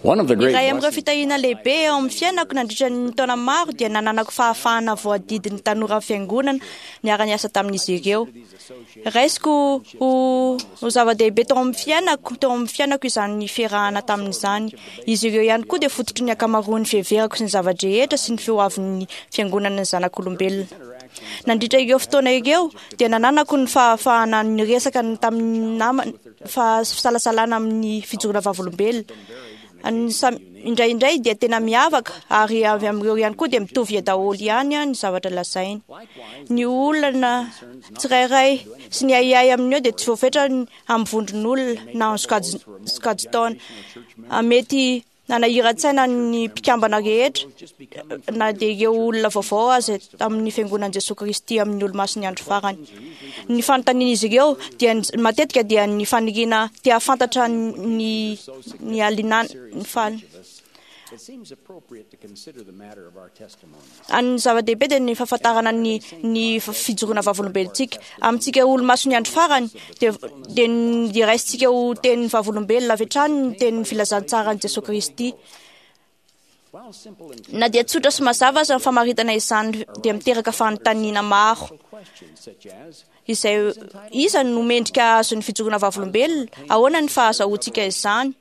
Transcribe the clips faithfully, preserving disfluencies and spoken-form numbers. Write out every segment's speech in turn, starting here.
One of the great Iray amin'ireo blessings fitahiana lehibe eo amin'ny fiainako nandritra ny taona maro dia nananako fahafahana voadidin'ny tanora fiangonana niara-niasa tamin'izy ireo. Raisiko ho, ho zava-dehibe teo amin'ny fiainako, teo amin'ny fiainako izany fiarahana tamin'izany. Izy ireo ihany koa dia fototry ny ankamaroan'ny fiheverako sy ny zava-drehetra sy ny fihoavin'ny fiangonana ny zanak'olombelona. Nandritra ireo fotoana ireo dia nananako ny fahafahana niresaka ny tamin'ny nama fa fisalasalana amin'ny fijoroana vavolombelona. Ny sam- Indraindray dia tena miavaka ary avy amin'ireo ihany koa dia mitovy daholo ihany ny zavatra lazainy. Ny olana tsirairay sy ny ahiahy amin'io dia tsy voafetra ny- amin'ny vondron'olona na amin'ny sokajy sokajin-taona. Ah, Mety nanahiran-tsaina ny mpikambana rehetra na dia ireo olona vaovao aza amin'ny fiangonan'i Jesoa Kristy amin'ny olomasin'ny andro farany. Ny fanontanian'izy ireo dia ny- matetika dia ny faniriana te hahafantatra ny ny alinana ny faly. It seems appropriate to consider the matter of our testimony. Ny zava-dehibe dia ny fahafantarana ny ny fijoroana vavolombelontsika. Amintsika olomasin'ny andro farany dia dia ny- dia raisintsika ho tenin'ny vavolombelona avy hatrany ny tenin'ny filazantsaran'i Jesoa Kristy. While simple and Na dia tsotra sy mazava aza ny famaritana izany dia miteraka fanontaniana maro. questions such as Izay iza no mendrika azon'ny fijoroana vavolombelona? Ahoana ny fahazahoantsika izany?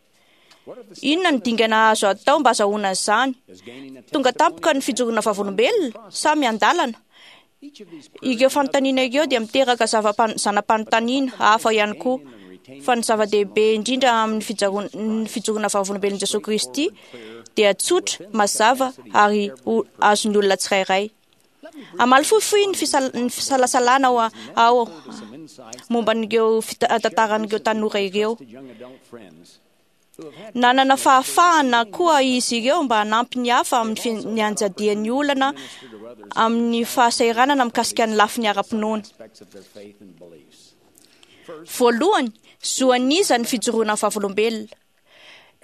Inona ny dingana azo atao mba azahoana izany? is gaining a Tonga tampoka ny fijoroana vavolombelona sa miandalana? each of these Ireo fanontaniana ireo dia miteraka zava-pan- zana-panontaniana hafa ihany koa. Fa ny zava-dehibe indrindra amin'ny fijaroan- ny fijoroana vavolombelon'i Jesoa Kristy dia tsotra, mazava ary ho azon'ny olona tsirairay. Hamaly fohifohy ny fisal- ny fisalasalana ao, ao some insights momba an'ireo fita- tantaran'ireo tanora ireo. to young adult friends who have had Nanana fahafahana koa izy ireo mba hanampy ny hafa amin'ny fi- ny anjadian'ny olana amin'ny fahasahiranana mikasika ny lafiny ara-pinoana. aspects of their faith and beliefs. Voalohany, zo an'iza ny fijoroana vavolombelona.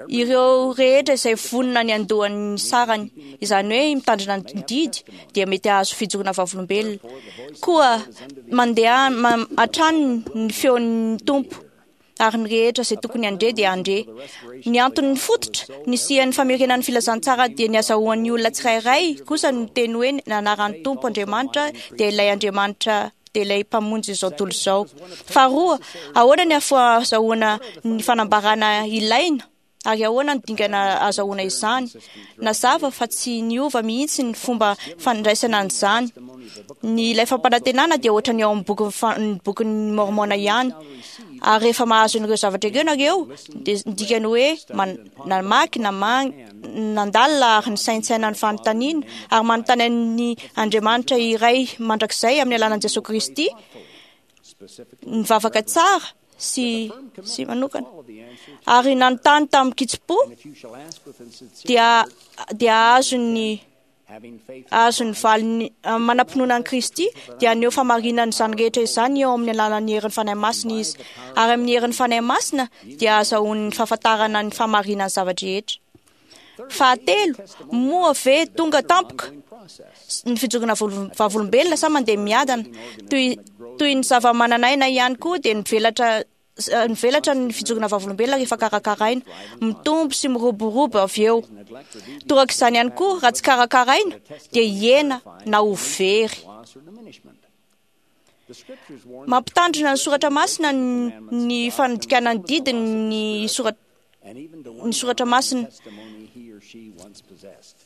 Ireo rehetra izay vonona ny andohan'ny sarany, izany hoe mitandrina ny didy, dia mety hahazo fijoroana vavolombelona. Koa mandeha ma- hatrany ny feon'ny Tompo ary ny rehetra izay tokony handre dia handre. Ny anton'ny fototra nisian'ny famerenan'ny filazantsara dia ny azahoan'ny olona tsirairay kosa ny teny hoe ny anaran'ny Tompo Andriamanitra dia ilay Andriamanitra dia ilay mpamonjy izao tontolo izao. Faharoa, ahoana ny ahazoana ny fanambarana ilaina ary ahoana ny dingana azahoana izany? Nazava fa tsy niova mihitsy ny fomba fandraisana an'izany. Ny ilay fampanantenana dia ohatran'ny ao amin'ny boky fa- ny bokin'ny Mormona ihany. Ary rehefa mahazo an'ireo zavatra ireo nareo, dia ny dikany hoe man- namaky, namang- nandalina ary nisaintsaina ny fanontaniana ary manontany an'ny Andriamanitra iray mandrakizay amin'ny alalan'i Jesoa Kristy, nivavaka tsara sy sy manokana. All of the answers, Ary nanontany tamin'ny kitsim-po if you shall ask with a sincere dia dia azo ny having faith azo ny valiny ah, manam-pinoana an'i Kristy dia haneho famarinana izany rehetra izany eo amin'ny alalan'ny herin'ny Fanahy Masina izy. Ary amin'ny herin'ny Fanahy Masina dia azahoan'ny fahafantarana ny famarinan'ny zava-drehetra. Fahatelo, moa ve tonga tampoka process. ny fijoroana volo- vavolombelona sa mandeha miadana? Toy, toy ny zava-manan'aina ihany koa dia mivelatra s- eh, mivelatra ny fijoroana vavolombelona rehefa karakaraina, mitombo sy miroborobo avy eo. Toraka izany ihany koa raha tsy karakaraina dia hihena na ho very. Loss or diminishment. The scriptures warn Mampitandrina ny soratra masina ny, ny fanodikana ny didiny ny sora- and even to ny one soratra masina. testimony he or she once possessed.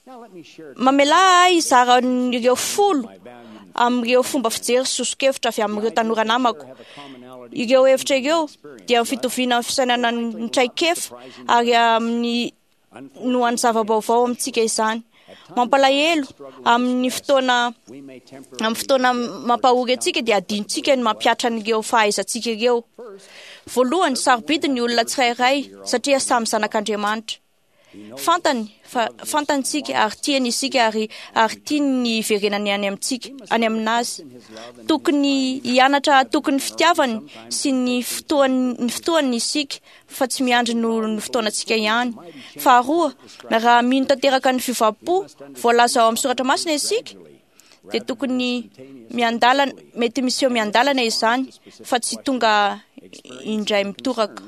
Now let me share Mamelà ahy hizara ireo folo my valued amin'ireo fomba fijery sy soso-kevitra avy amin'ireo tanora namako. have a commonality Ireo hevitra ireo dia ny fitoviana amin'ny fisainana ny traikefa ary amin'ny no an'ny zava-baovao amintsika izany. Mampalahelo amin'ny fotoana we may temporarily amin'ny fotoana mampahory antsika dia adinontsika ny mampihatra an'ireo fahaizantsika ireo. Voalohany, sarobidy ny olona tsirairay satria samy zanak'Andriamanitra. Fantany fa fantantsika ary tiany isika ary ary tiany ny hiverenany any amintsika any aminazy. Tokony hianatra hatoky ny fitiavany sy ny fotoany ny fotoany isika fa tsy miandry no ny fotoanantsika ihany. Faharoa, raha mino tanteraka ny fiovam-po voalaza ao amin'ny soratra masina isika dia tokony miandalana mety miseho miandalana izany fa tsy tonga indray mitoraka.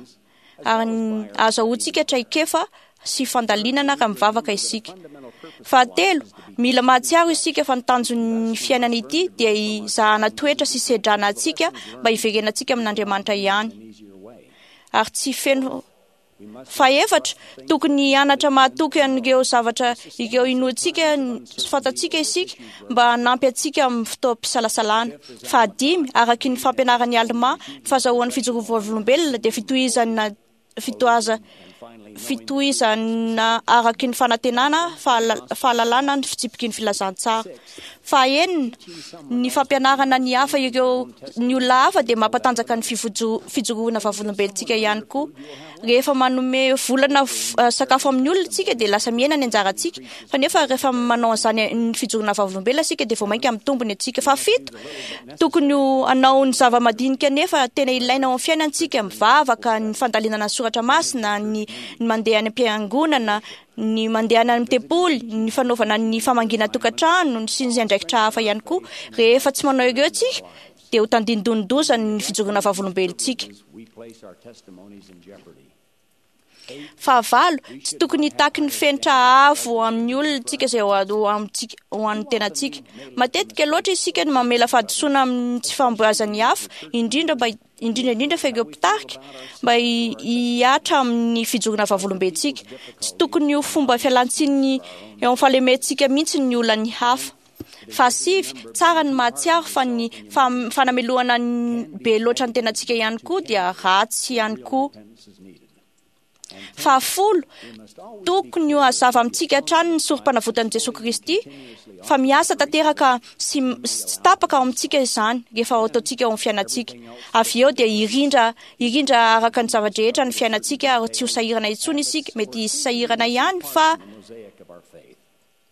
ary ahazoantsika traikefa sy fandalinana raha mivavaka isika. Fahatelo, mila mahatsiaro isika fa ny tanjon'ny fiainana ity dia hizahana toetra sy sedrana antsika mba hiverenantsika amin'Andriamanitra ihany. Ary tsy feno. Fahefatra, tokony hianatra mahatoky an'ireo zavatra ireo inoantsika sy fantatsika isika mba hanampy antsika amin'ny fotoam-pisalasalana. Fahadimy, araky ny fampianaran'i Almà, ny fahazahoan'ny fijoroana vavolombelona dia fitohizana fitohaza fitohizana araky ny fanantenana fahalalana ny fitsipiky ny filazantsara. Fahaenina, ny fampianarana ny hafa ireo ny olona hafa dia mampatanjaka ny fijoroana vavolombelontsika ihany koa. Rehefa manome volana sakafo amin'ny olona isika dia lasa mihena ny anjarantsika, fa nefa rehefa manao an'izany ny fijoroana vavolombelona isika dia vao mainka mitombo ny antsika. Fahafito, tokony hanao ny zava-madinika nefa tena ilaina ao amin'ny fiainantsika, mivavaka, ny fandalinana ny soratra masina, ny ny mandeha any am-piangonana, ny mandeha any amin'ny tempoly, ny fanaovana ny famangiana tokantrano, sy ny andraikitra hafa ihany koa. Rehefa tsy manao ireo tsika dia ho tandindonin-doza ny fijoroana vavolombelontsika. Fahavalo, tsy tokony hitaky ny fenitra avo amin'ny olona tsika izay ho amintsika ho an'ny tenantsika. Matetika loatra isika no mamela fahadisoana amin'ny tsy fahombiazan'ny hafa, indrindra mba indrindra indrindra fa ireo mpitarika mba hihatra amin'ny fijoroana vavolombelontsika. Tsy tokony ho fomba fialantsiny eo amin'ny fahalementsika mihitsy ny olan'ny hafa. Fahasivy, tsara ny mahatsiaro fa ny fanamelohana be loatra ny tenantsika ihany koa dia ratsy ihany koa. Fahafolo, tokony ho hazava amintsika hatrany ny sorom-panavotan'i Jesoa Kristy fa miasa tanteraka sy tsy tapaka ao amintsika izany rehefa ataontsika ao amin'ny fiainantsika. Avy eo dia hirindra hirindra araka ny zava-drehetra ny fiainantsika ary tsy ho sahirana intsony isika. Mety hisy sahirana ihany fa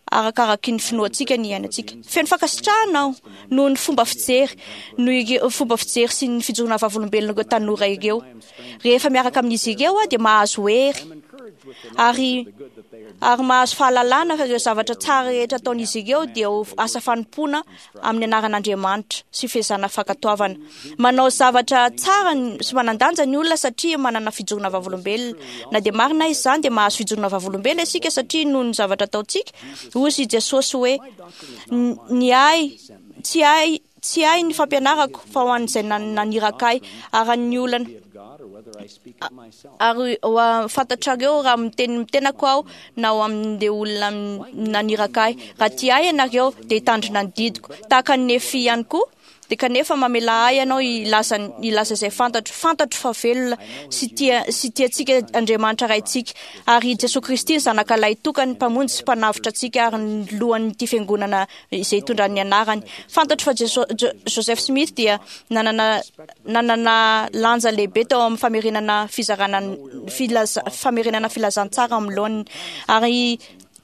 arakaraky ny finoantsika ny iainantsika. Feno fankasitrahana aho noho ny fomba fijery, noho fomba fijery sy ny fijoroana vavolombelona ireo tanora ireo. Rehefa miaraka amin'izy ireo aho dia mahazo hery ary ary mahazo fahalalana fa ireo zavatra tsara rehetra ataon'izy ireo dia ho asa fanompoana amin'ny anaran'Andriamanitra sy fezana fankatoavana. Manao zavatra tsara sy manan-danja ny olona satria manana fijoroana vavolombelona. Na dia marina izany dia mahazo fijoroana vavolombelona isika satria noho ny zavatra ataontsika. Hoy i Jesosy hoe ny ahy tsy ahy tsy ahy ny fampianarako fa ho an'izay naniraka ahy ary ny olana ary fantatrareo raha miteny mitenako aho na ho amin'ilay olona naniraka ahy. Raha tia ahy ianareo dia hitandrina ny didiko tahaka ny Nefy ihany koa. Dia kanefa mamela ahy ianao hilaza hilaza izay fantatro. Fantatro fa velona sy tia sy tiantsika Andriamanitra Raintsika ary Jesoa Kristy ny zanaka lahy tokany mpamonjy sy mpanavotra antsika ary ny lohan'ity fiangonana izay itondran'ny ny anarany. Fantatro fa Jeso, Joseph Smith dia nanana nanana lanja lehibe tao amin'ny famerenana fizarana filaza, famerenana filazantsara amin'ny laoniny ary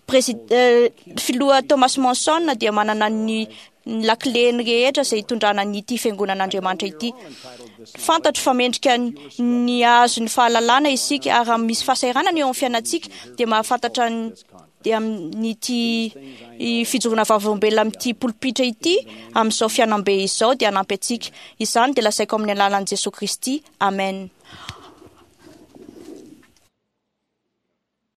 Président filoha Thomas Monson dia manana ny ny lakileny rehetra izay hitondrana ny ity fiangonan'Andriamanitra ity. Fantatro fa mendrika ny hahazo ny fahalalana isika ary raha misy fahasahiranana eo amin'ny fiainantsika dia mahafantatra ny dia amin'ity fijoroana vavolombelona amin'ity polipitra ity amin'izao fiainam-be izao dia hanampy antsika. Izany dia lazaiko amin'ny alalan'i Jesoa Kristy. Amen.